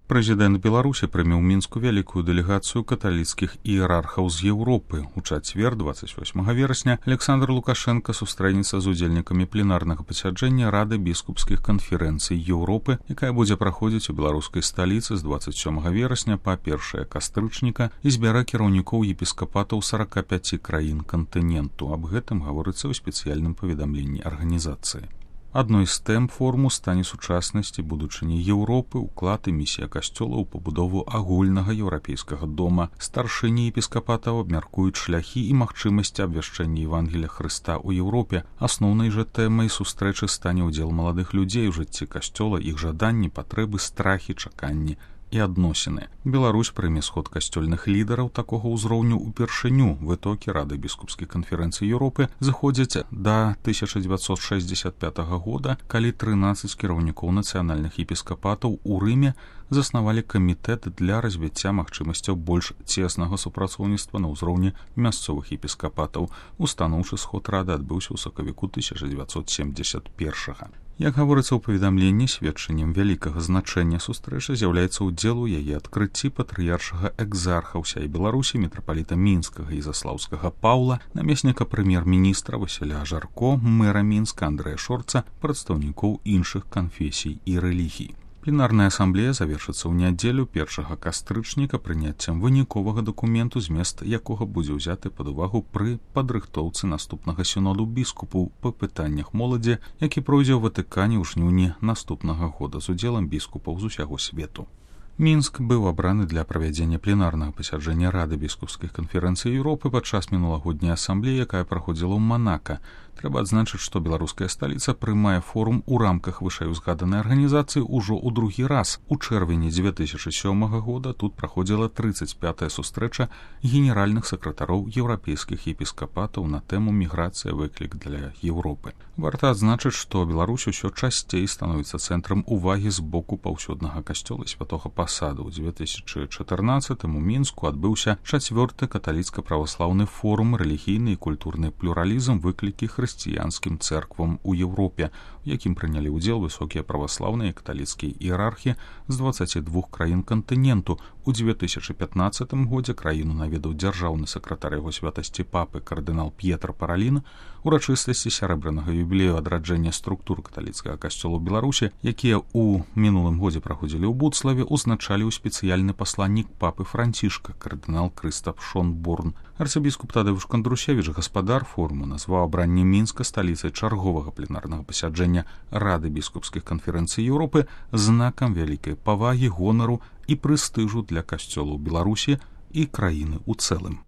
Прэзідэнт Беларусі прыме ў Мінску вялікую дэлегацыю каталіцкіх іерархаў з Еўропы. У чацвер, 28 верасня, Александр Лукашенко сустрэнецца з удзельнікамі пленарнага пасяджэння Рады біскупскіх канферэнцый Еўропы, якая будзе праходзіць у беларускай сталіцы з 27 верасня па 1 кастрычніка і збярэ кіраўнікоў епіскапатаў 45 краін кантыненту. Аб гэтым гаворыцца ў спецыяльным паведамленні арганізацыі. Адной з тэм форуму стане сучаснасць і будучыня Еўропы, уклад і місія касцёла ў пабудову агульнага еўрапейскага дома. Старшыні епіскапатаў абмяркуюць шляхі і магчымасці абвяшчэння Евангелія Хрыста ў Еўропе. Асноўнай жа тэмай сустрэчы стане ўдзел маладых людзей у жыцці касцёла, іх жаданні, патрэбы, страхі, чаканні і адносіны. Беларусь прыме сход касцёльных лідараў такога ўзроўню ўпершыню. Вытокі Рады біскупскіх канферэнцый Еўропы заходзяць да 1965 года, калі 13 кіраўнікоў нацыянальных епіскапатаў у Рыме заснавалі камітэт для развіцця магчымасцяў больш цеснага супрацоўніцтва на ўзроўні мясцовых епіскапатаў. Устаноўчы сход Рады адбыўся ў сакавіку 1971. Як гаворыцца ў паведамленні, сведчаннем вялікага значэння сустрэчы з'яўляецца ўдзел у яе адкрыцці патрыяршага экзарха ўсяй Беларусі мітрапаліта Мінскага і Заслаўскага Паўла, намесніка прэм'ер-міністра Васіля Жарко, мэра Мінска Андрэя Шорца, прадстаўнікоў іншых канфесій і рэлігій. Пленарная асамблея завершыцца ў нядзелю 1 кастрычніка прыняццем выніковага дакументу, змест якога будзе ўзяты пад увагу пры падрыхтоўцы наступнага сіноду біскупаў па пытаннях моладзі, які пройдзе ў Ватыкане ў жніўні наступнага года з удзелам біскупаў з усяго свету. Мінск быў абраны для правядзення пленарнага пасяджэння Рады біскупскіх канферэнцый Еўропы падчас мінулагодняй асамблеі, якая праходзіла ў Манака. Трэба адзначыць, што беларуская сталіца прымае форум у рамках вышэйузгаданай арганізацыі ўжо ў другі раз. У чэрвені 2007 года тут праходзіла 35-я сустрэча генеральных сакратароў еўрапейскіх епіскапатаў на тэму «Міграцыя. Выклік для Еўропы». Варта адзначыць, што Беларусь усё часцей становіцца цэнтрам увагі з боку паўсюднага касцёла святога пасаду. У 2014 у Мінску адбыўся 4-ты каталіцка-праваслаўны форум «Рэлігійны і культурны плюралізм. Выклікі хрысціянскім цэрквам у Еўропе», у якім прынялі ўдзел высокія праваслаўныя і каталіцкія іерархі з 22 краін кантыненту. У 2015 годзе краіну наведаў дзяржаўны сакратар яго святасці папы кардынал П'етра Паралін. Урачыстасці сярэбранага юбілею адраджэння структур каталіцкага касцёла ў Беларусі, якія ў мінулым годзе праходзілі ў Буцлаве, узначаліў спецыяльны пасланнік папы Францішка кардынал Крыстап Шонборн. Арцыбіскуп Тадеуш Кандрусевіч, гаспадар форуму, назваў абранне Мінска сталіцай чарговага пленарнага пасяджэння Рады біскупскіх канферэнцый Еўропы знакам вялікай павагі, гонару і прэстыжу для касцёлаў Беларусі і краіны ў цэлым.